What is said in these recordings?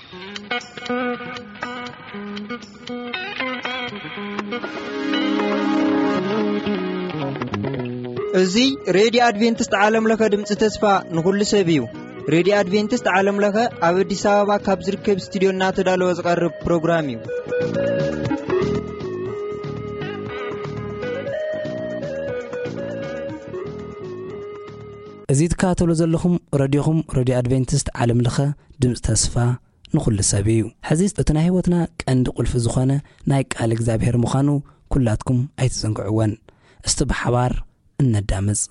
እዚ ሬድዮ ኣድቬንቲስት ዓለም ለኸ ድምፂ ተስፋ ንኹሉ ሰብ እዩ። ሬድዮ ኣድቬንቲስት ዓለም ለኸ ኣብ ኣዲስ ኣበባ ካብ ዝርከብ ስቱድዮ እናተዳለወ ዝቐርብ ፕሮግራም እዩ። እዚ ትከታተሉ ዘለኹም ረድዮኹም፣ ረድዮ ኣድቬንቲስት ዓለም ለኸ ድምፂ ተስፋ ንኹሉ ሰብ እዩ። ሕዚ እቲ ናይ ህይወትና ቀንዲ ቁልፊ ዝኾነ ናይ ቃል እግዚኣብሔር ምዃኑ ኩላትኩም ኣይትዘንግዕወን። እስቲ ብሓባር እነዳምፅ።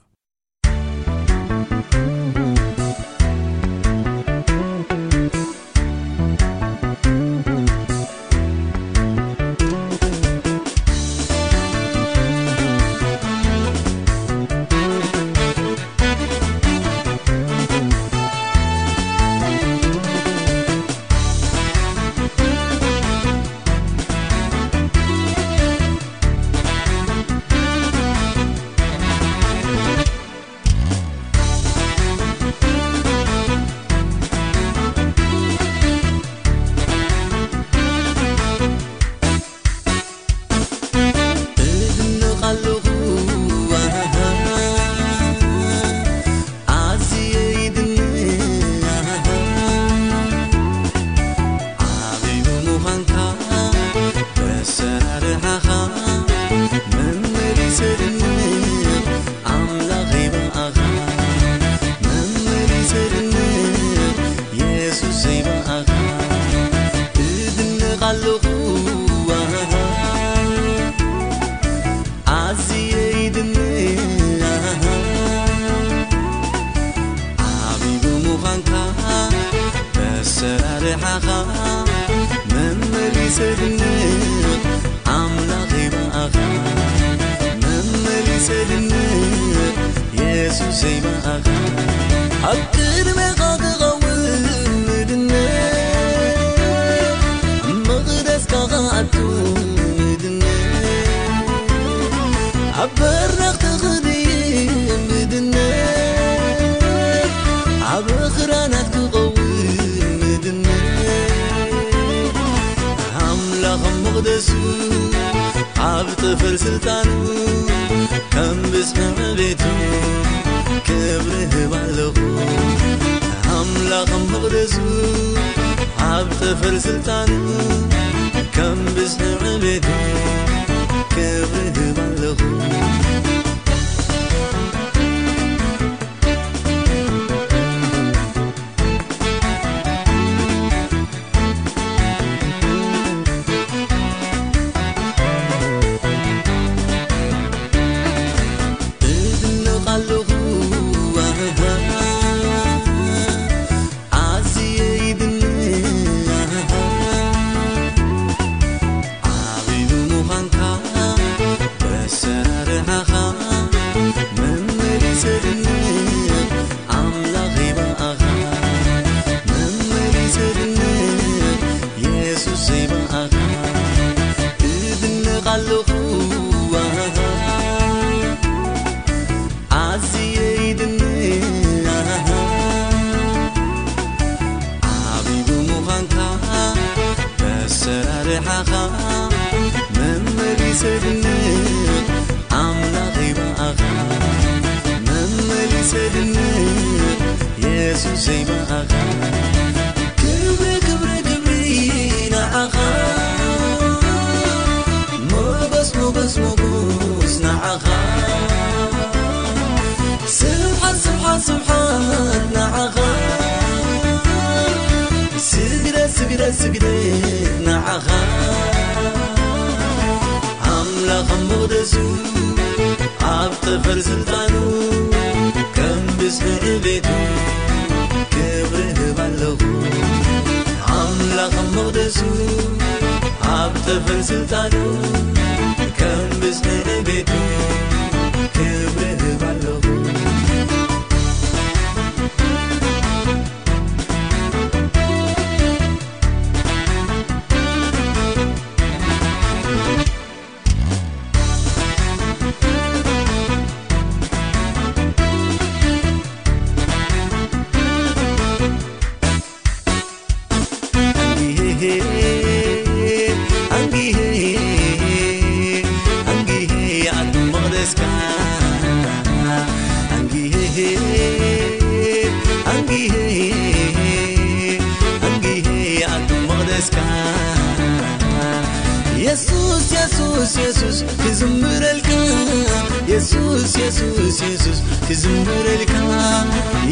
የሱስ የሱስ ክዝምረልካ፣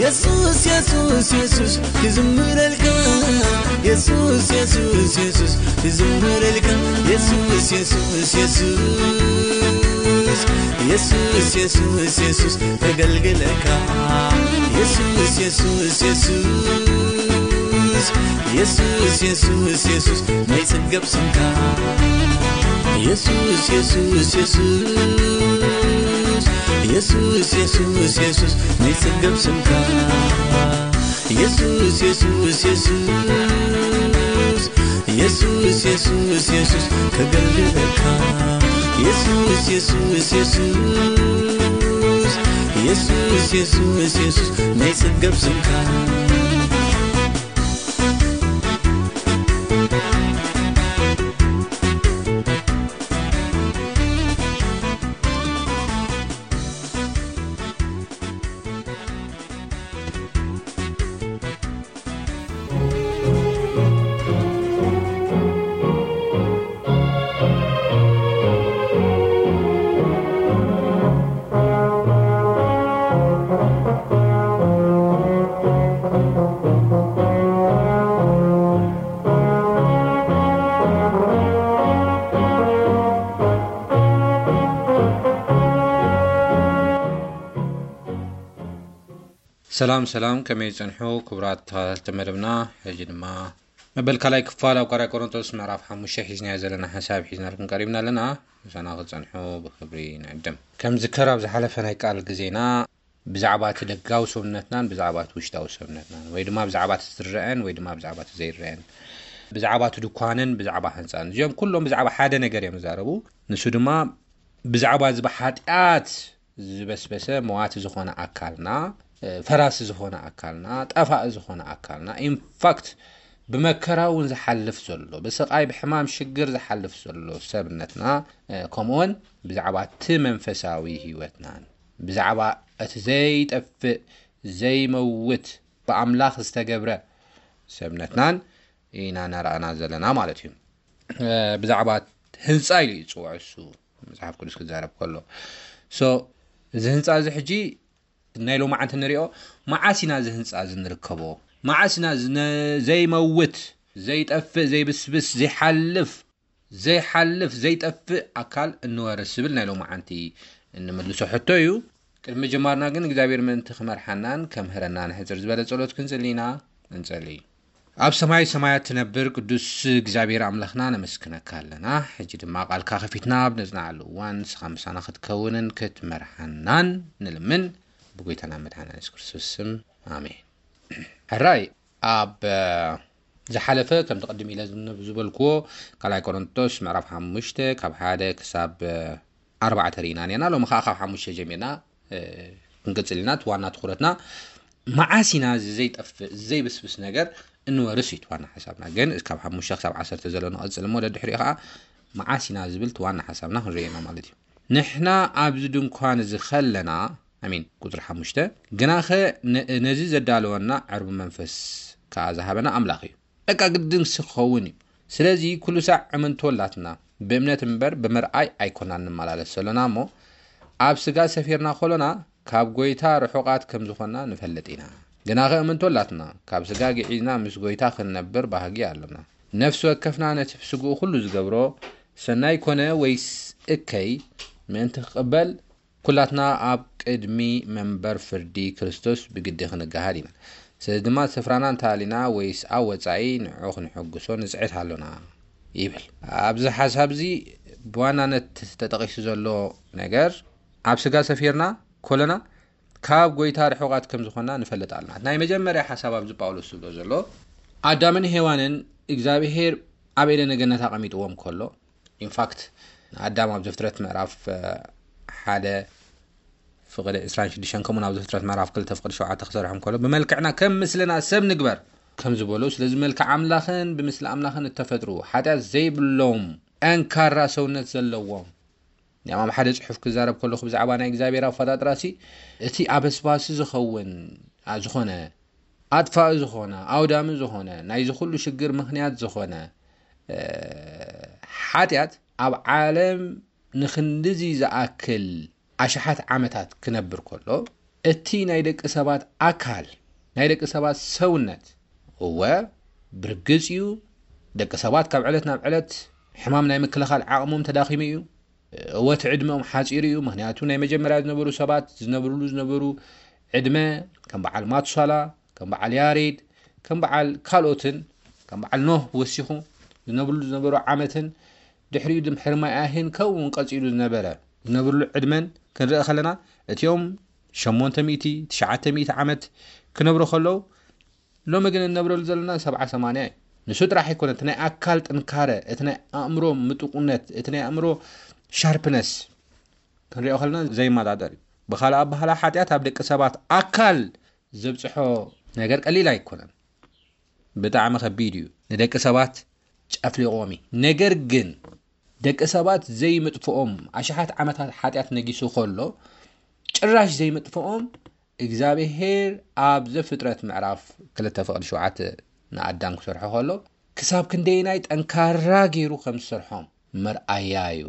የሱስ የሱስ የሱስ ክዝምረልካ፣ የሱስ የሱስ የሱስ ክዝምረልካ፣ የሱስ የሱስ የሱስ፣ የሱስ የሱስ የሱስ ከገልግለካ፣ የሱስ የሱስ የሱስ፣ የሱስ የሱስ የሱስ ናይ ጽገብ ስምካ፣ የሱስ የሱስ የሱስ፣ የሱስ የሱስ የሱስ ናይ ጽገብ ስምካ፣ የሱስ የሱስ የሱስ፣ የሱስ የሱስ የሱስ ከገልግለካ፣ የሱስ የሱስ የሱስ፣ የሱስ የሱስ የሱስ ናይ ጽገብ ስምካ፣ ሰላም ሰላም፣ ከመይ ጸንሑ ክቡራት ተኸታተልቲ መደብና? ሕጂ ድማ መበል ካልኣይ ክፋል ኣብ ካልኣይ ቆሮንቶስ ምዕራፍ ሓሙሽተ ሒዝናዮ ዘለና ሓሳብ ሒዝናልኩም ቀሪብና ኣለና። ምሳና ክትጸንሑ ብኽብሪ ንዕድም። ከም ዝከር ኣብ ዝሓለፈ ናይ ቃል ግዜና ብዛዕባ እቲ ደጋዊ ሰውነትናን ብዛዕባ እቲ ውሽጣዊ ሰውነትናን ወይ ድማ ብዛዕባ እቲ ዝረአን ወይ ድማ ብዛዕባ እቲ ዘይረአን፣ ብዛዕባ እቲ ድኳንን ብዛዕባ ህንጻን፣ እዚኦም ኩሎም ብዛዕባ ሓደ ነገር እዮም ዝዛረቡ። ንሱ ድማ ብዛዕባ እዚ ብሓጢኣት ዝበስበሰ መዋቲ ዝኾነ ኣካልና፣ ፈራሲ ዝኾነ ኣካልና፣ ጠፋኢ ዝኾነ ኣካልና፣ ኢንፋክት ብመከራ እውን ዝሓልፍ ዘሎ፣ ብስቓይ ብሕማም ሽግር ዝሓልፍ ዘሎ ሰብነትና፣ ከምኡውን ብዛዕባ እቲ መንፈሳዊ ህይወትናን ብዛዕባ እቲ ዘይጠፍእ ዘይመውት ብኣምላኽ ዝተገብረ ሰብነትናን ኢና ነራእና ዘለና ማለት እዩ። ብዛዕባ ህንፃ ኢሉ እዩ ዝፅውዖ እሱ መጽሓፍ ቅዱስ ክዛረብ ከሎ። ሶ እዚ ህንፃ እዚ ሕጂ ናይ ሎማዓንቲ ንሪኦ። መዓስ ኢና እዚ ህንፃ እዚ ንርከቦ? መዓስ ኢና እዚ ነ- ዘይመውት ዘይጠፍእ ዘይብስብስ ዘይሓልፍ ዘይሓልፍ ዘይጠፍእ ኣካል እንወርስ ዝብል ናይ ሎማዓንቲ እንምልሶ ሕቶ እዩ። ቅድሚ ምጅማርና ግን እግዚኣብሔር ምእንቲ ክመርሓናን ከምህረናን ሕፅር ዝበለ ጸሎት ክንጽሊ ኢና። እንጸሊ። ኣብ ሰማይ ሰማያት ትነብር ቅዱስ እግዚኣብሔር ኣምላኽና ነመስግነካ ኣለና። ሕጂ ድማ ቃልካ ከፊትና ኣብ ነጽንዓሉ እዋን ንስኻ ምሳና ክትከውንን ክትመርሓናን ንልምን ብጎይታና መድሓና የሱስ ክርስቶስ ስም ኣሜን። ሕራይ ኣብ ዝሓለፈ ከምቲ ቅድም ኢለ ዝበልክዎ ካልኣይ ቆሮንቶስ ምዕራፍ ሓሙሽተ ካብ ሓደ ክሳብ ኣርባዕተ ርኢና ኔርና። ሎሚ ከዓ ካብ ሓሙሽተ ጀሚርና ክንቅፅል ኢና። እቲ ዋና ትኩረትና መዓስ ኢና እዚ ዘይጠፍእ ዘይብስብስ ነገር እንወርስ እዩ እቲ ዋና ሓሳብና። ግን ካብ ሓሙሽተ ክሳብ ዓሰርተ ዘሎ ንቐፅል እሞ ደድሕሪኡ ከዓ መዓስ ኢና ዝብል እቲ ዋና ሓሳብና ክንርኢ ኢና ማለት እዩ። ንሕና ኣብዚ ድንኳን እዚ ከለና ኣሚን ቁፅሪ ሓሙሽተ ግናኸ ነዚ ዘዳለወና ዕርቢ መንፈስ ከዓ ዝሃበና ኣምላኽ እዩ። በቃ ግድን ክኸውን እዩ። ስለዚ ኩሉ ሳዕ እምንቶ ኣላትና ብእምነት እምበር ብምርኣይ ኣይኮናን ንመላለስ ዘሎና እሞ ኣብ ስጋ ሰፊርና ከሎና ካብ ጎይታ ርሑቓት ከም ዝኾንና ንፈልጥ ኢና። ግናኸ እምንቶ ኣላትና ካብ ስጋ ግዒዝና ምስ ጎይታ ክንነብር ባህጊ ኣሎና። ነፍሲ ወከፍና ነቲ ብስግኡ ኩሉ ዝገብሮ ሰናይ ኮነ ወይስ እከይ ምእንቲ ክቕበል ኩላትና ኣብ ቅድሚ መንበር ፍርዲ ክርስቶስ ብግዲ ክንገሃድ ኢና። ስለዚ ድማ ስፍራና እንተሃሊና ወይስ ኣብ ወጻኢ ንዕኡ ክንሕጉሶ ንጽዕት ኣሎና ይብል። ኣብዚ ሓሳብ እዚ ብዋናነት ተጠቒሱ ዘሎ ነገር ኣብ ስጋ ሰፊርና ኮለና ካብ ጎይታ ርሑቓት ከም ዝኾንና ንፈልጥ ኣለና። ናይ መጀመርያ ሓሳብ ኣብዚ ጳውሎስ ዝብሎ ዘሎ ኣዳምን ሄዋንን እግዚኣብሄር ኣብ ኤደነ ገነት ኣቐሚጥዎም ከሎ ኢንፋክት ኣዳም ኣብ ዘፍጥረት ምዕራፍ ሓደ ፍቕዲ ዕስራን ሽዱሽተን ከምኡ ናብ ዘፍጥረት ምዕራፍ ክልተ ፍቕዲ ሸውዓተ ክሰርሖም ከሎ ብመልክዕና ከም ምስልና ሰብ ንግበር ከም ዝበሎ ስለዚ መልክዕ ኣምላኽን ብምስሊ ኣምላኽን እተፈጥሩ ሓጢኣት ዘይብሎም ጠንካራ ሰውነት ዘለዎም ያማም ሓደ ጽሑፍ ክዛረብ ከለኹ ብዛዕባ ናይ እግዚኣብሔር ኣፈጣጥራ ሲ እቲ ኣበስባሲ ዝኸውን ዝኾነ ኣጥፋኢ ዝኾነ ኣውዳሚ ዝኾነ ናይዚ ኩሉ ሽግር ምኽንያት ዝኾነ ሓጢኣት ኣብ ዓለም ንኽንድዚ ዝኣክል ኣሽሓት ዓመታት ክነብር ከሎ፣ እቲ ናይ ደቂ ሰባት ኣካል፣ ናይ ደቂ ሰባት ሰውነት፣ እወ፣ ብርግጽ እዩ፣ ደቂ ሰባት ካብ ዕለት ናብ ዕለት ሕማም ናይ ምክልኻል ዓቕሞም ተዳኺሙ እዩ። እወ፣ እቲ ዕድመኦም ሓጺሩ እዩ። ምኽንያቱ፣ ናይ መጀመርያ ዝነበሩ ሰባት ዝነብርሉ ዝነበሩ ዕድመ፣ ከም በዓል ማቱሳላ፣ ከም በዓል ያሬድ፣ ከም በዓል ካልኦትን፣ ከም በዓል ኖህ ወሲኹ ዝነብርሉ ዝነበሩ ዓመትን፣ ድሕሪኡ ድም ሕርማይ ኣህን ከምኡ እውን ቀጺሉ ዝነበረ ዝነብርሉ ዕድመን ክንርኢ ከለና፣ እቲኦም ሸሞንተ ሚእቲ፣ ትሽዓተ ሚእቲ ዓመት ክነብሩ ከለዉ፣ ሎሚ ግን እንነብረሉ ዘለና ሰብዓ ሰማንያ እዩ። ንሱ ጥራሕ ኣይኮነ፣ እቲ ናይ ኣካል ጥንካረ፣ እቲ ናይ ኣእምሮ ምጡቁነት፣ እቲ ናይ ኣእምሮ ሻርፕነስ ክንሪኦ ከለና ዘይመጣጠር እዩ። ብኻልእ ኣባህላ፣ ሓጢኣት ኣብ ደቂ ሰባት ኣካል ዘብጽሖ ነገር ቀሊል ኣይኮነን። ብጣዕሚ ከቢድ እዩ። ንደቂ ሰባት ጨፍሊቖም እዩ። ነገር ግን ደቂ ሰባት ዘይምጥፍኦም ኣሽሓት ዓመታት ሓጢኣት ነጊሱ ከሎ፣ ጭራሽ ዘይምጥፍኦም እግዚኣብሄር ኣብ ዘፍጥረት ምዕራፍ ክልተ ፍቕዲ ሸውዓተ ንኣዳም ክሰርሖ ከሎ፣ ክሳብ ክንደየናይ ጠንካራ ገይሩ ከም ዝሰርሖም መርኣያ እዩ።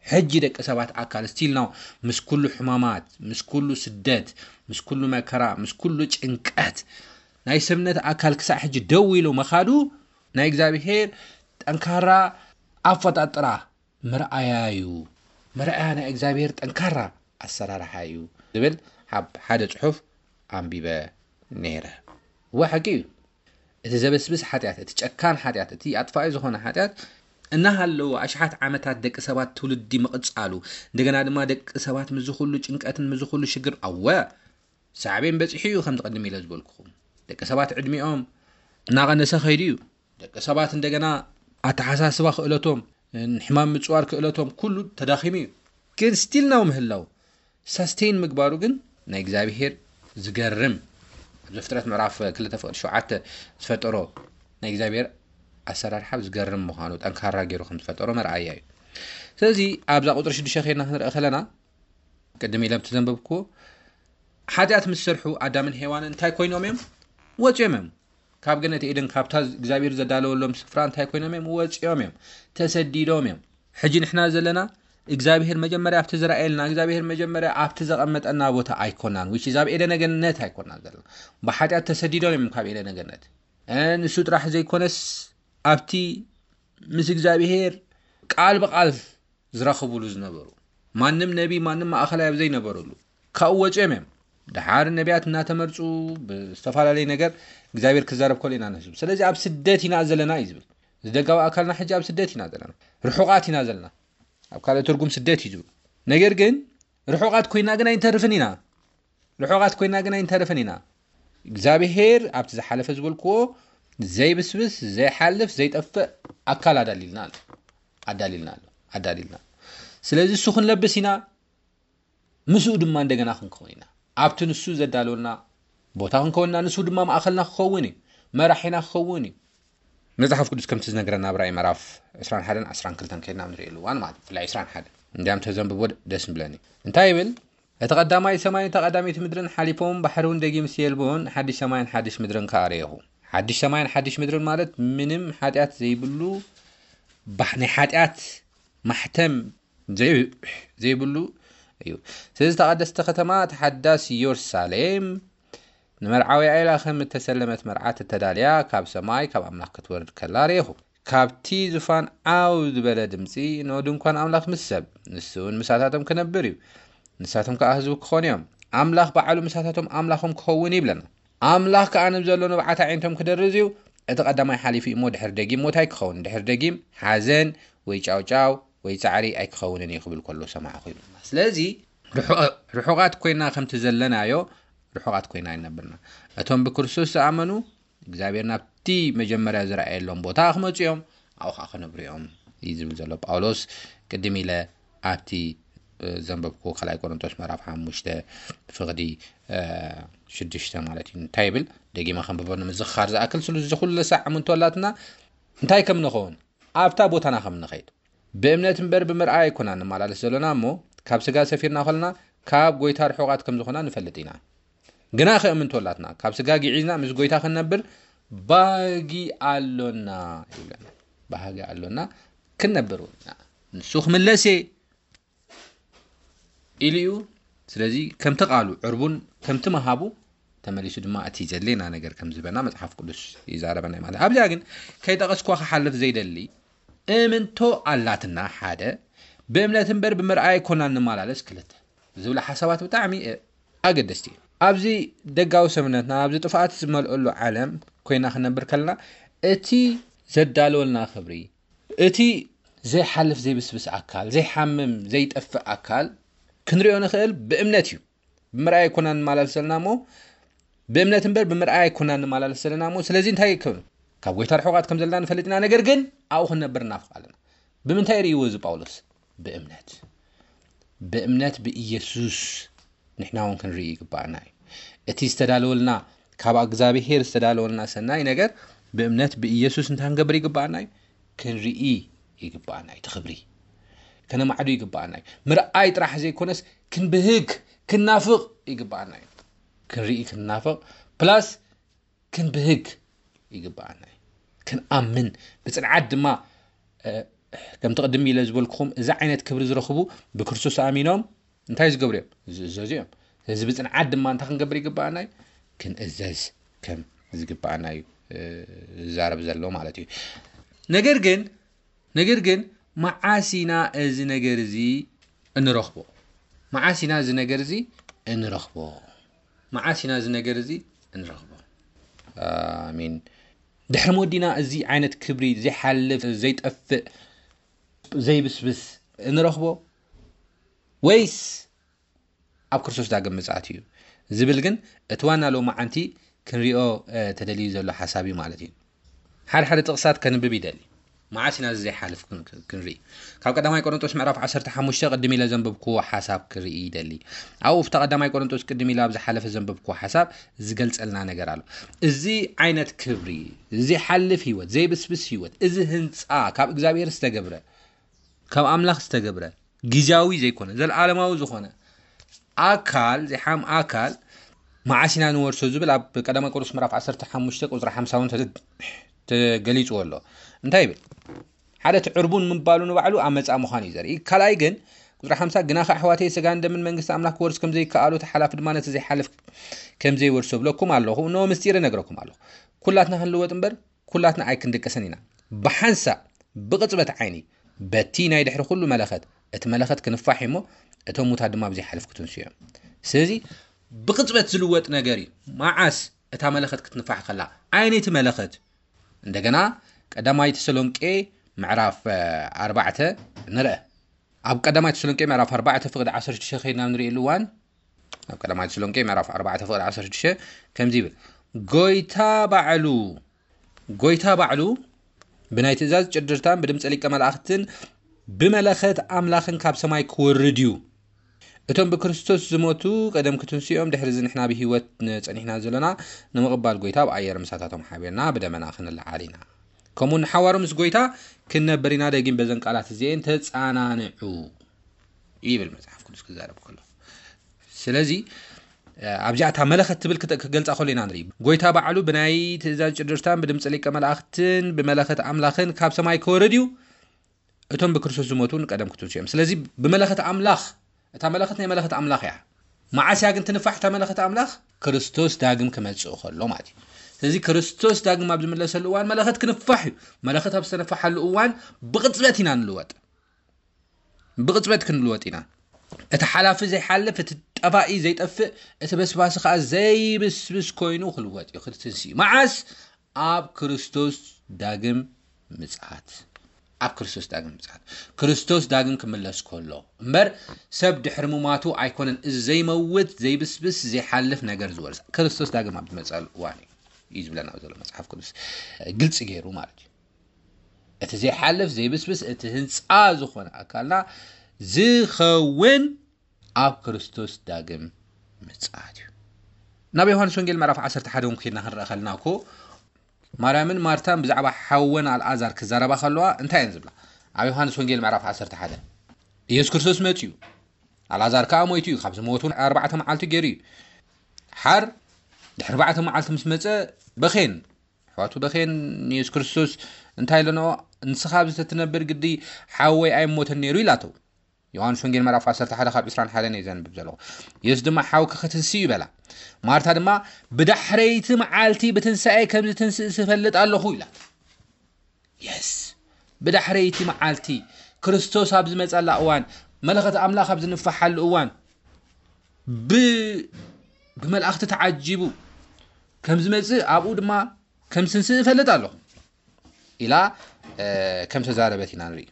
ሕጂ ደቂ ሰባት ኣካል ስቲል ናው ምስ ኩሉ ሕማማት፣ ምስ ኩሉ ስደት፣ ምስ ኩሉ መከራ፣ ምስ ኩሉ ጭንቀት ናይ ሰብነት ኣካል ክሳዕ ሕጂ ደው ኢሉ መኻዱ ናይ እግዚኣብሄር ጠንካራ ኣፈጣጥራ መርኣያ እዩ። መርኣያ ናይ እግዚኣብሄር ጠንካራ ኣሰራርሓ እዩ ዝብል ኣብ ሓደ ጽሑፍ ኣንቢበ ነይረ። እወ፣ ሓቂ እዩ። እቲ ዘበስብስ ሓጢኣት፣ እቲ ጨካን ሓጢኣት፣ እቲ ኣጥፋኢ ዝኾነ ሓጢኣት እናሃለወ ኣሽሓት ዓመታት ደቂ ሰባት ትውልዲ ምቕጻሉ፣ እንደገና ድማ ደቂ ሰባት ምስዚ ኩሉ ጭንቀትን ምስዚ ኩሉ ሽግር፣ ኣወ፣ ሳዕቤን በጺሑ እዩ፣ ከምቲ ቅድም ኢለ ዝበልኩኹም። ደቂ ሰባት ዕድሚኦም እናቐነሰ ከይዱ እዩ። ደቂ ሰባት እንደገና ኣተሓሳስባ ክእለቶም፣ ንሕማም ምጽዋር ክእለቶም ኩሉ ተዳኺሙ እዩ። ግን ስቲል ናው ምህላው፣ ሳስቴን ምግባሩ ግን ናይ እግዚኣብሄር ዝገርም፣ ኣብ ዘፍጥረት ምዕራፍ ክልተ ፍቕዲ ሸውዓተ ዝፈጠሮ ናይ እግዚኣብሄር ኣሰራርሓ ዝገርም ምዃኑ፣ ጠንካራ ገይሩ ከም ዝፈጠሮ መርኣያ እዩ። ስለዚ ኣብዛ ቁጽሪ ሽዱሽተ ከይድና ክንርኢ ከለና፣ ቅድም ኢለ ኣብቲ ዘንበብኩዎ፣ ሓጢኣት ምስ ሰርሑ ኣዳምን ሄዋንን እንታይ ኮይኖም እዮም? ወጺኦም እዮም። ካብ ገነት ኤደን፣ ካብታ እግዚኣብሄር ዘዳለወሎም ስፍራ እንታይ ኮይኖም እዮም? ወጺኦም እዮም። ተሰዲዶም እዮም። ሕጂ ንሕና ዘለና እግዚኣብሄር መጀመርያ ኣብቲ ዝረኣየልና፣ እግዚኣብሄር መጀመርያ ኣብቲ ዘቐመጠና ቦታ ኣይኮናን። which is ኣብ ኤደነ ገነት ኣይኮናን ዘለና። ብሓጢኣት ተሰዲዶም እዮም ካብ ኤደነ ገነት። እ፣ ንሱ ጥራሕ ዘይኮነስ ኣብቲ ምስ እግዚኣብሄር ቃል ብቃል ዝራኸቡሉ ዝነበሩ፣ ማንም ነቢ፣ ማንም ማእኸላይ ኣብ ዘይነበረሉ ካብኡ ወጺኦም እዮም። ደሓር ነቢያት እናተመርጹ ብዝተፈላለየ ነገር እግዚኣብሔር ክዛረብ ከሎ ኢና ንህዝቡ። ስለዚ ኣብ ስደት ኢና ዘለና እዩ ዝብል። እዚ ደጋዊ ኣካልና ሕጂ ኣብ ስደት ኢና ዘለና። ርሑቓት ኢና ዘለና። ኣብ ካልእ ትርጉም ስደት እዩ ዝብል። ነገር ግን ርሑቓት ኮይና ግን ኣይንተርፍን ኢና። ርሑቓት ኮይና ግን ኣይንተርፍን ኢና። እግዚኣብሔር ኣብቲ ዝሓለፈ ዝበልክዎ ዘይብስብስ፣ ዘይሓልፍ፣ ዘይጠፍእ ኣካል ኣዳሊልና ኣሎ። ኣዳሊልና ኣሎ። ኣዳሊልና ኣሎ። ስለዚ እሱ ክንለብስ ኢና፣ ምስኡ ድማ እንደገና ክንከውን ኢና። ኣብቲ ንሱ ዘዳለወልና ቦታ ክንከውን ኢና፣ ንሱ ድማ ማእኸልና ክኸውን እዩ፣ መራሒና ክኸውን እዩ። መጽሓፍ ቅዱስ ከምቲ ዝነግረና ኣብ ራእይ ምዕራፍ ዕስራን ሓደን ዓስራን ክልተን ከይድና ንርእየሉ እዋን ማለት ብፍላይ ዕስራን ሓደን እንዲያም ተዘንብቦ ደስ ምብለኒ። እንታይ ይብል? እቲ ቀዳማይ ሰማይን እታ ቀዳመይቲ ምድርን ሓሊፎም፣ ባሕሪ እውን ደጊም ሲየልቦን ሓድሽ ሰማይን ሓድሽ ምድርን ከኣ ረኤኹ። ሓድሽ ሰማይን ሓድሽ ምድርን ማለት ምንም ሓጢኣት ዘይብሉ፣ ባሕ-፣ ናይ ሓጢኣት ማሕተም ዘይ-፣ ዘይብሉ እዩ። ስለዚ እታ ቀደስቲ ከተማ፣ እታ ሓዳስ ኢየሩሳሌም፣ ንመርዓዊ ኢላ ከም እተሰለመት መርዓት እተዳልያ፣ ካብ ሰማይ ካብ ኣምላኽ ክትወርድ ከላ ረኤኹ። ካብቲ ዙፋን ዓው ዝበለ ድምጺ፣ "እንሆ ድንኳን ኣምላኽ ምስ ሰብ፣ ንሱ እውን ምሳታቶም ክነብር እዩ። ንሳቶም ከኣ ህዝቡ ክኾኑ እዮም። ኣምላኽ ባዕሉ ምሳታቶም ኣምላኾም ክኸውን እዩ" ይብለና። ኣምላኽ ከኣ ንብዘሎ ንብዓት ኣዒንቶም ክደርዝ እዩ። እቲ ቀዳማይ ሓሊፉ እዩ እሞ ድሕሪ ደጊም ሞት ኣይክኸውን። ድሕሪ ደጊም ሓዘን ወይ ጫውጫው ወይ ጻዕሪ ኣይክኸውንን እዩ ክብል ከሎ ሰማዕኹ ይብለና። ስለዚ ርሑ-፣ ርሑቓት ኮይና ከምቲ ዘለናዮ ርሑቓት ኮይና ኣይነብርና። እቶም ብክርስቶስ ዝኣመኑ እግዚኣብሔር ናብቲ መጀመርያ ዝረኣየሎም ቦታ ክመጹ እዮም፣ ኣብኡ ኸዓ ክነብሩ እዮም እዩ ዝብል ዘሎ ጳውሎስ። ቅድም ኢለ ኣብቲ፣ እ፣ ዘንበብኩዎ ካልኣይ ቆሮንቶስ ምዕራፍ ሓሙሽተ ፍቕዲ፣ እ፣ ሽዱሽተ ማለት እዩ። እንታይ ይብል? ደጊመ ከንብቦ ንምዝኽኻር ዝኣክል፣ ስሉ እዚ ኩሉ ሳዕ ኣምንቶ ኣላትና እንታይ ከም ንኸውን ኣብታ ቦታና ከም ንኸይድ። ብእምነት እምበር ብምርኣይ ኣይኮና ንመላለስ ዘሎና እሞ፣ ካብ ስጋ ሰፊርና ከለና ካብ ጐይታ ርሑቓት ከም ዝኾና ንፈልጥ ኢና። ግና ከእምንቶ ኣላትና፣ ካብ ስጋ ግዒዝና ምስ ጐይታ ክንነብር ባህጊ ኣሎና ይብለና። ባህጊ ኣሎና፣ ክንነብር እውን ኢና። ንሱ ክምለስ እየ፣ ኢሉ እዩ። ስለዚ ከምቲ ቃሉ ዕርቡን ከምቲ መሃቡ ተመሊሱ ድማ እቲ ዘድሌና ነገር ከም ዝበና መጽሓፍ ቅዱስ ይዛረበና ማለት። ኣብዚኣ ግን ከይጠቐስኳ ክሓልፍ ዘይደሊ እምንቶ ኣላትና ሓደ ብእምነት እምበር ብምርኣይ ኣይኮናን ንመላለስ ክልተ ዝብላ ሓሳባት ብጣዕሚ ኣገደስቲ እዩ። ኣብዚ ደጋዊ ሰብነትና ኣብዚ ጥፍኣት ዝመልአሉ ዓለም ኮይና ክነብር ከለና እቲ ዘዳለወልና ክብሪ እቲ ዘይሓልፍ ዘይብስብስ ኣካል ዘይሓምም ዘይጠፍእ ኣካል ክንሪኦ ንኽእል ብእምነት እዩ። ብምርኣይ ኣይኮና ንመላለስ ዘለና እሞ ብእምነት እምበር ብምርኣይ ኣይኮና ንመላለስ ዘለና እሞ ስለዚ እንታይ ይከብሉ ካብ ጎይታ ርሑቓት ከም ዘለና ንፈልጥ ኢና። ነገር ግን ኣብኡ ክንነብር እናፍቕ ኣለና። ብምንታይ ርእይዎ እዚ ጳውሎስ? ብእምነት ብእምነት ብኢየሱስ ንሕና እውን ክንርኢ ይግባኣና እዩ። እቲ ዝተዳለወልና ካብ እግዚኣብሄር ዝተዳለወልና ሰናይ ነገር ብእምነት ብኢየሱስ እንታይ ክንገብር ይግባኣና እዩ? ክንርኢ ይግባኣና እዩ። እቲ ክብሪ ከነማዕዱ ይግባኣና እዩ። ምርኣይ ጥራሕ ዘይኮነስ ክንብህግ ክናፍቕ ይግባኣና እዩ። ክንርኢ ክንናፍቕ ፕላስ ክንብህግ ይግባኣና እዩ። ክንኣምን ብፅንዓት ድማ ከምቲ ቅድም ኢለ ዝበልኩኹም እዚ ዓይነት ክብሪ ዝረኽቡ ብክርስቶስ ኣሚኖም እንታይ ዝገብሩ እዮም? ዝእዘዙ እዮም። ስለዚ ብፅንዓት ድማ እንታይ ክንገብር ይግባኣና እዩ? ክንእዘዝ ከም ዝግባኣና እዩ ዝዛረብ ዘሎ ማለት እዩ። ነገር ግን ነገር ግን መዓስ ኢና እዚ ነገር እዚ እንረኽቦ? መዓስ ኢና እዚ ነገር እዚ እንረኽቦ? መዓስ ኢና እዚ ነገር እዚ እንረኽቦ? ኣሚን። ድሕሪ ሞዲና እዚ ዓይነት ክብሪ ዘይሓልፍ ዘይጠፍእ ዘይብስብስ እንረኽቦ ወይስ ኣብ ክርስቶስ ዳግም ምጽኣት እዩ ዝብል ግን እቲ ዋና ሎማዓንቲ ክንሪኦ ተደልዩ ዘሎ ሓሳብ እዩ ማለት እዩ። ሓደ ሓደ ጥቕሳት ከንብብ ይደሊ። መዓስ ኢና እዚ ዘይሓልፍ ክንርኢ? ካብ ቀዳማይ ቆሮንጦስ ምዕራፍ ዓሰርተ ሓሙሽተ ቅድም ኢለ ዘንበብክዎ ሓሳብ ክርኢ ይደሊ። ኣብኡ ፍታ ቀዳማይ ቆሮንጦስ ቅድም ኢለ ኣብ ዝሓለፈ ዘንበብክዎ ሓሳብ ዝገልጸልና ነገር ኣሎ። እዚ ዓይነት ክብሪ፣ ዘይሓልፍ ህይወት፣ ዘይብስብስ ህይወት፣ እዚ ህንፃ ካብ እግዚኣብሔር ዝተገብረ ካብ ኣምላኽ ዝተገብረ ግዝያዊ ዘይኮነ ዘለዓለማዊ ዝኾነ ኣካል ዘይሓም ኣካል መዓስ ኢና ንወርሶ ዝብል ኣብ ቀዳማይ ቆሮስ ምዕራፍ ዓሰርተ ሓሙሽተ ቁፅሪ ሓምሳ እውን ተገሊፅዎ ኣሎ። እንታይ ይብል? ሓደ እቲ ዕርቡን ምባሉ ንባዕሉ ኣብ መፃ ምዃን እዩ ዘርኢ። ካልኣይ ግን ቁፅሪ ሓምሳ ግናኸ ኣሕዋተይ ስጋን ደምን መንግስቲ ኣምላኽ ክወርስ ከም ዘይከኣሉ እቲ ሓላፊ ድማ ነቲ ዘይሓልፍ ከም ዘይወርሶ ብለኩም ኣለኹ። እነሆ ምስጢር እነግረኩም ኣለኹ። ኩላትና ክንልወጥ እምበር ኩላትና ኣይክንድቅስን ኢና። ብሓንሳእ ብቕጽበት ዓይኒ በቲ ናይ ድሕሪ ኩሉ መለኸት እቲ መለኸት ክንፋሕ እሞ እቶም ሙታት ድማ ብዘይሓልፍ ክትንሱ እዮም። ስለዚ ብቕጽበት ዝልወጥ ነገር እዩ። መዓስ እታ መለኸት ክትንፋሕ ከላ ዓይነይቲ መለኸት እንደገና ቀዳማይ ተሰሎንቄ ምዕራፍ ኣርባዕተ ንርአ። ኣብ ቀዳማይ ተሰሎንቄ ምዕራፍ ኣርባዕተ ፍቕዲ ዓሰርተ ሽዱሽተ ከይድና ንርእየሉ እዋን ኣብ ቀዳማይ ተሰሎንቄ ምዕራፍ ኣርባዕተ ፍቕዲ ዓሰርተ ሽዱሽተ ከምዚ ይብል፣ ጎይታ ባዕሉ ጎይታ ባዕሉ ብናይ ትእዛዝ ጭድርታን ብድምፂ ሊቀ መላእኽትን ብመለኸት ኣምላኽን ካብ ሰማይ ክወርድ እዩ። እቶም ብክርስቶስ ዝሞቱ ቀደም ክትንስኦም ድሕሪ እዚ ንሕና ብህይወት ጸኒሕና ዘለና ንምቕባል ጎይታ ኣብ ኣየር ምሳታቶም ሓቢርና ብደመና ክንለዓል ኢና። ከምኡ ንሓዋሩ ምስ ጎይታ ክንነብር ኢና። ደጊም በዘን ቃላት እዚኤን ተጻናንዑ ይብል መጽሓፍ ቅዱስ ክዛረብ ከሎ። ስለዚ ኣብዚኣ እታ መለኸት ትብል ክገልፃ ከሎ ኢና ንርኢ። ጎይታ ባዕሉ ብናይ ትእዛዝ ጭድርታን ብድምፂ ሊቀ መላእኽትን ብመለኸት ኣምላኽን ካብ ሰማይ ክወርድ እዩ። እቶም ብክርስቶስ ዝሞቱ ንቀደም ክትንሱ እዮም። ስለዚ ብመለኸት ኣምላኽ እታ መለኸት ናይ መለኸት ኣምላኽ እያ። መዓስ እያ ግን ትንፋሕ እታ መለኸት ኣምላኽ? ክርስቶስ ዳግም ክመጽእ ከሎ ማለት እዩ። ስለዚ ክርስቶስ ዳግም ኣብ ዝምለሰሉ እዋን መለኸት ክንፋሕ እዩ። መለኸት ኣብ ዝተነፋሓሉ እዋን ብቕጽበት ኢና ንልወጥ። ብቕጽበት ክንልወጥ ኢና። እቲ ሓላፊ ዘይሓልፍ፣ እቲ ጠፋኢ ዘይጠፍእ፣ እቲ በስባሲ ከኣ ዘይብስብስ ኮይኑ ክልወጥ እዩ፣ ክትንሲ እዩ። መዓስ? ኣብ ክርስቶስ ዳግም ምጽኣት። ኣብ ክርስቶስ ዳግም ምጽኣት። ክርስቶስ ዳግም ክምለስ ከሎ እምበር ሰብ ድሕሪ ምማቱ ኣይኮነን እዚ ዘይመውት ዘይብስብስ ዘይሓልፍ ነገር ዝወርስ። ክርስቶስ ዳግም ኣብ ዝመጸሉ እዋን እዩ እዩ ዝብለና ዘሎ መጽሓፍ ቅዱስ ግልጺ ገይሩ ማለት እዩ። እቲ ዘይሓልፍ ዘይብስብስ እቲ ህንፃ ዝኾነ ኣካልና ዝኸውን ኣብ ክርስቶስ ዳግም ምጽኣት እዩ። ናብ ዮሃንስ ወንጌል ምዕራፍ ዓሰርተ ሓደ እውን ከይድና ክንረአ ከለና እኮ ማርያምን ማርታን ብዛዕባ ሓወን ኣልኣዛር ክዛረባ ከለዋ እንታይ እየን ዝብላ? ኣብ ዮሃንስ ወንጌል ምዕራፍ ዓሰርተ ሓደ ኢየሱስ ክርስቶስ መጺኡ ኣልኣዛር ከኣ ሞይቱ እዩ፣ ካብ ዝሞቱ ኣርባዕተ መዓልቲ ገይሩ እዩ። ሓር ድሕሪ ኣርባዕተ መዓልቲ ምስ መጸ በኼን ኣሕዋቱ በኼን ንየሱስ ክርስቶስ እንታይ ኢለንኦ? ንስኻ ኣብዚ ተትነብር ግዲ ሓወይ ኣይሞተን ነይሩ ኢላቶ። ዮሃንስ ወንጌል ምዕራፍ ዓሰርተ ሓደ ካብ ዕስራን ሓደን እየ ዘንብብ ዘለኹ። የሱስ ድማ ሓውኪ ክትንስእ እዩ በላ። ማርታ ድማ ብዳሕረይቲ መዓልቲ ብትንሳኤ ከም ዝትንስእ ዝፈልጥ ኣለኹ ኢላ። የስ ብዳሕረይቲ መዓልቲ ክርስቶስ ኣብ ዝመጸላ እዋን፣ መለኸት ኣምላኽ ኣብ ዝንፋሓሉ እዋን፣ ብ ብመላእኽቲ ተዓጂቡ ከም ዝመጽእ፣ ኣብኡ ድማ ከም ዝትንስእ እፈልጥ ኣለኹ ኢላ ከም ተዛረበት ኢና ንርኢ።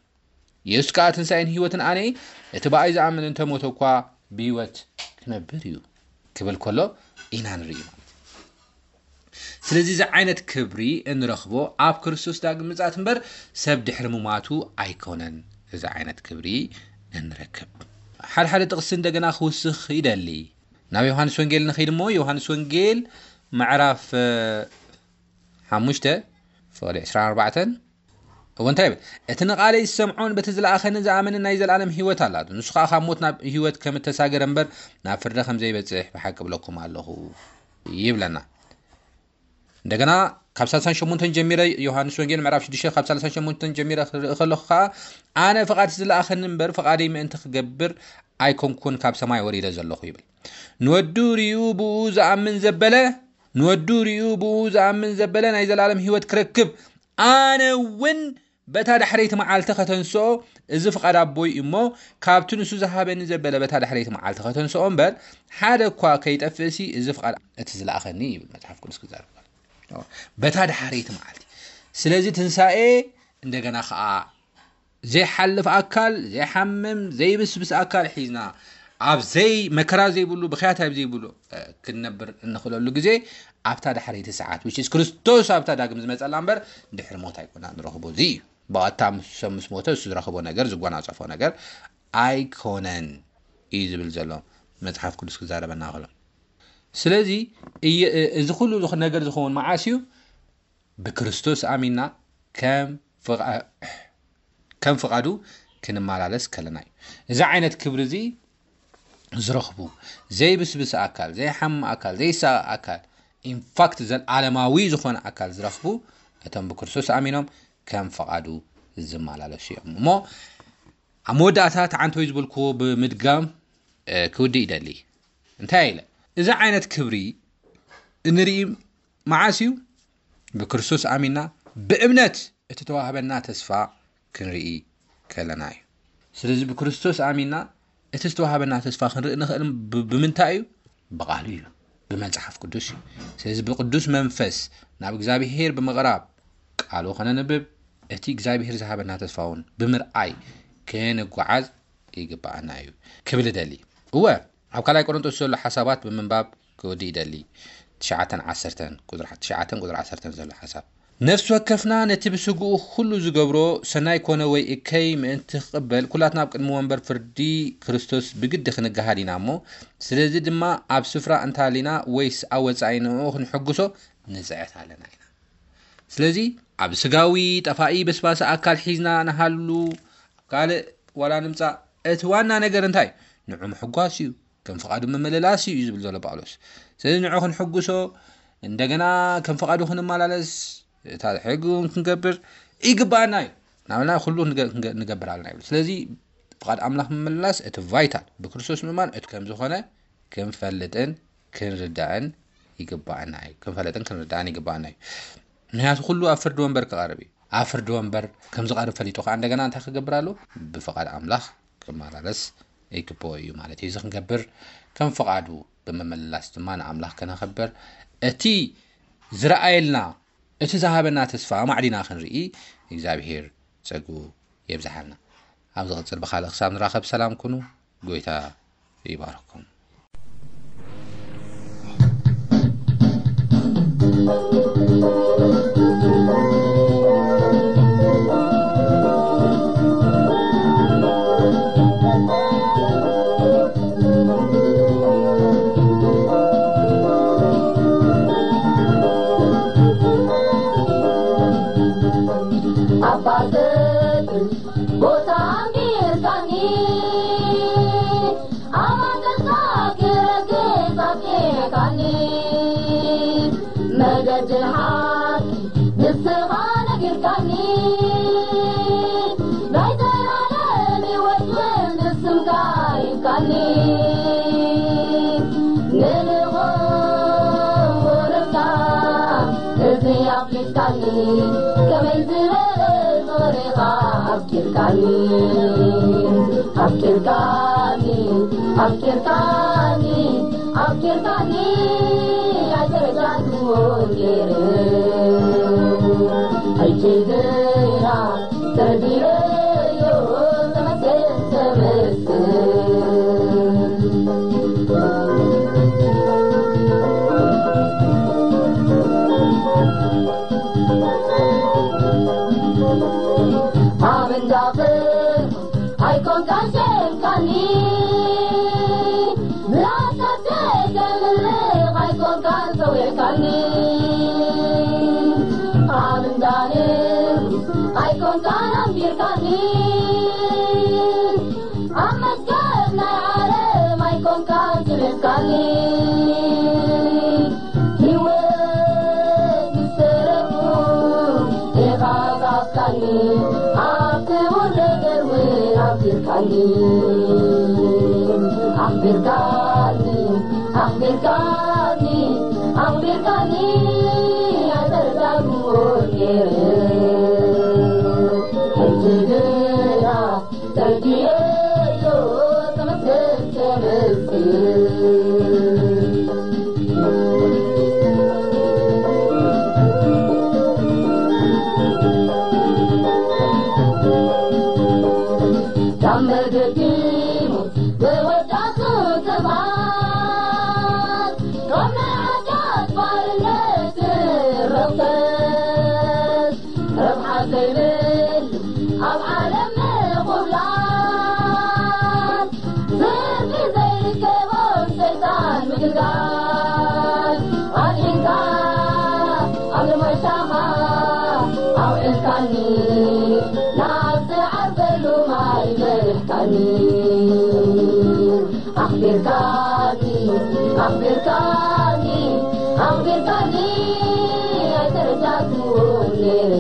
የሱስ ከኣ ትንሳኤን ህይወትን ኣነ፣ እቲ ብኣይ ዝኣምን እንተ ሞተ እኳ ብህይወት ክነብር እዩ ክብል ከሎ ኢና ንርኢ ማለት እዩ። ስለዚ እዚ ዓይነት ክብሪ እንረኽቦ ኣብ ክርስቶስ ዳግም ምጽኣት እምበር ሰብ ድሕሪ ምማቱ ኣይኮነን። እዚ ዓይነት ክብሪ እንረክብ። ሓደ ሓደ ጥቕሲ እንደገና ክውስኽ ይደሊ። ናብ ዮሃንስ ወንጌል ንኸይድ እሞ ዮሃንስ ወንጌል ምዕራፍ ሓሙሽተ ፍቕዲ ዕስራን ኣርባዕተን እዎ እንታይ ይብል? እቲ ንቓለይ ዝሰምዖን በቲ ዝለኣኸኒ ዝኣመንን ናይ ዘለኣለም ህይወት ኣላቶ። ንሱ ኸኣ ካብ ሞት ናብ ህይወት ከም እተሳገረ እምበር ናብ ፍርዲ ከም ዘይበጽሕ ብሓቂ እብለኩም ኣለኹ ይብለና። እንደገና ካብ ሳልሳን ሸሞንተን ጀሚረ፣ ዮሃንስ ወንጌል ምዕራፍ ሽዱሽተ ካብ ሳልሳን ሸሞንተን ጀሚረ ክርኢ ከለኹ ኸኣ፣ ኣነ ፍቓድ ዝለኣኸኒ እምበር ፍቓደይ ምእንቲ ክገብር ኣይኮንኩን ካብ ሰማይ ወሪደ ዘለኹ ይብል። ንወዱ ርእዩ ብኡ ዝኣምን ዘበለ ንወዱ ርእዩ ብኡ ዝኣምን ዘበለ ናይ ዘለኣለም ህይወት ክረክብ፣ ኣነ እውን በታ ዳሕረይቲ መዓልቲ ከተንስኦ እዚ ፍቓድ ኣቦይ እዩ እሞ፣ ካብቲ ንሱ ዝሃበኒ ዘበለ በታ ዳሕረይቲ መዓልቲ ከተንስኦ እምበር፣ ሓደ እኳ ከይጠፍእሲ እዚ ፍቓድ እቲ ዝለኣኸኒ ይብል መጽሓፍ ቅዱስ ክዛረብ ከሎ። በታ ዳሕረይቲ መዓልቲ። ስለዚ ትንሳኤ እንደገና ኸኣ ዘይሓልፍ ኣካል፣ ዘይሓምም፣ ዘይብስብስ ኣካል ሒዝና ኣብ ዘይ መከራ ዘይብሉ፣ ብኽያት ኣብ ዘይብሉ ክንነብር እንኽእለሉ ግዜ ኣብታ ዳሕረይቲ ሰዓት፣ which is ክርስቶስ ኣብታ ዳግም ዝመጸላ እምበር ድሕሪ ሞት ኣይኮና ንረኽቦ። እዚ እዩ። ብቐጥታ ምስ ሰብ ምስ ሞተ እሱ ዝረኽቦ ነገር፣ ዝጎናጸፎ ነገር ኣይኮነን እዩ ዝብል ዘሎ መጽሓፍ ቅዱስ ክዛረበና ከሎ። ስለዚ እየ-፣ እዚ ኩሉ ዝኹ-፣ ነገር ዝኸውን መዓስ እዩ? ብክርስቶስ ኣሚንና ከም ፍቓ-፣ ከም ፍቓዱ ክንመላለስ ከለና እዩ። እዚ ዓይነት ክብሪ እዚ ዝረኽቡ ዘይብስብስ ኣካል፣ ዘይሓምም ኣካል፣ ዘይሳቐ ኣካል፣ ኢንፋክት ዘልዓለማዊ ዝኾነ ኣካል ዝረኽቡ እቶም ብክርስቶስ ኣሚኖም ከም ፍቓዱ ዝመላለሱ እዮም። እሞ ኣብ መወዳእታ ተዓንቶይ ዝበልክዎ ብምድጋም፣ እ፣ ክውድእ ይደሊ። እንታይ ኢለ? እዚ ዓይነት ክብሪ እንርኢ መዓስ እዩ? ብክርስቶስ ኣሚንና ብእምነት እቲ ተዋህበና ተስፋ ክንርኢ ከለና እዩ። ስለዚ ብክርስቶስ ኣሚንና እቲ ዝተዋህበና ተስፋ ክንርኢ ንኽእል ብ-፣ ብምንታይ እዩ? ብቓሉ እዩ፣ ብመጽሓፍ ቅዱስ እዩ። ስለዚ ብቅዱስ መንፈስ ናብ እግዚኣብሄር ብምቕራብ ቃሉ ከነንብብ፣ እቲ እግዚኣብሄር ዝሃበና ተስፋ እውን ብምርኣይ ክንጓዓዝ ይግብኣና እዩ ክብል እደሊ። እወ፣ ኣብ ካልኣይ ቆሮንቶስ ዘሎ ሓሳባት ብምንባብ ክወዲ ይደሊ። ትሽዓተን ዓሰርተን፣ ቁጽሪ ትሽዓተን ቁጽሪ ዓሰርተን ዘሎ ሓሳብ። ነፍሲ ወከፍና ነቲ ብስግኡ ኩሉ ዝገብሮ ሰናይ ኮነ ወይ እከይ ምእንቲ ክቕበል፣ ኩላትና ኣብ ቅድሚ ወንበር ፍርዲ ክርስቶስ ብግዲ ክንገሃድ ኢና እሞ፣ ስለዚ ድማ ኣብ ስፍራ እንተሃሊና ወይስ ኣብ ወጻኢ ንዕኡ ክንሕግሶ ንጽዕት ኣለና ኢና። ስለዚ ኣብ ስጋዊ ጠፋኢ በስባሲ ኣካል ሒዝና ንሃሉ፣ ኣብ ካልእ ዋላ ንምጻእ፣ እቲ ዋና ነገር እንታይ? ንዑ ምሕጓስ እዩ፣ ከም ፍቓዱ ምምልላስ እዩ ዝብል ዘሎ ጳውሎስ። ስለዚ ንዑ ክንሕጉሶ፣ እንደገና ከም ፍቓዱ ክንመላለስ፣ እታ ሕጊ እውን ክንገብር ይግባኣና እዩ። ናብና ኩሉ ንገ-፣ ንገ-፣ ንገብር ኣለና ይብል። ስለዚ ፍቓድ ኣምላኽ ምምልላስ እቲ ቫይታል፣ ብክርስቶስ ምእማን እቲ ከም ዝኾነ ክንፈልጥን ክንርዳእን ይግባኣና እዩ። ክንፈልጥን ክንርዳእን ይግባኣና እዩ። ምክንያቱ ኩሉ ኣብ ፍርዲ ወንበር ክቐርብ እዩ። ኣብ ፍርዲ ወንበር ከም ዝቐርብ ፈሊጡ ከዓ እንደገና እንታይ ክገብር ኣለዎ? ብፍቓድ ኣምላኽ ክመላለስ ይግብኦ እዩ ማለት እዩ። እዚ ክንገብር ከም ፍቓዱ ብምምልላስ ድማ ንኣምላኽ ከነኸብር፣ እቲ ዝረኣየልና፣ እቲ ዝሃበና ተስፋ ኣማዕዲና ክንርኢ እግዚኣብሄር ጸግኡ የብዝሓልና። ኣብ ዝቕጽል ብኻልእ ክሳብ ንራኸብ ሰላም ኩኑ። ጎይታ ይባርኩም። ኣባትህ ቦታ ኣንቢርካኒ፣ ኣማተሳ ክረግጽ ኣፍቂርካኒ፣ መገድን ሓቂ ንስኻ ነጊርካኒ፣ ናይ ዘላለም ህይወት ግን ንስኻ ከመይ ዝበለ ፍቕሪኻ ኣፍቂርካኒ፣ ኣፍቂርካኒ፣ ኣፍቂርካኒ፣ ኣፍቂርካኒ ኣይተረዳእኩዎን ነይረ። ሕጂ ግና ተረዲኤዮ ተመስገን ተመስገን። ኣብ እንዳኽን ኣይኮንካን ሸንካኒ፣ ምላሳት ተምልኽ ኣይኮንካን ሰዊዕካኒ። ኣብ እንዳኽን ኣይኮንካን ኣንቢርካኒ፣ ኣብ መስቀል ናይ ዓለም ኣይኮንካን ስሒብካኒ። ህይወት ዝሰረፍኩ ኢኻ ካፍካኒ፣ ኣብ ክቡር ነገር እውን ኣፍቂርካኒ። ኣኽቢርካኒ፣ ኣኽቢርካኒ፣ ኣኽቢርካኒ ኣይተረዳእኩዎን ነይረ። ሕጂ ግና ተረዲኤዮ ተመስገን ተመስገን። ካብ መገዲ ሞት ዝወዳእኩ ሰባት፣ ካብ ናይ ሓጢኣት ባርነት ርኽሰት፣ ረብሓ ዘይብሉ ኣብ ዓለም ምኹብላል፣ ትርፊ ዘይርከቦም ሰይጣን ምግልጋል፣ ኣድሒንካ ኣብ ለማይሻኻ ኣውዒልካኒ፣ ናብ ዝዓርፈሉ ማይ መሪሕካኒ። ኣኽቢርካኒ፣ ኣኽቢርካኒ፣ ኣኽቢርካኒ ኣይተረዳእኩዎን ነይረ።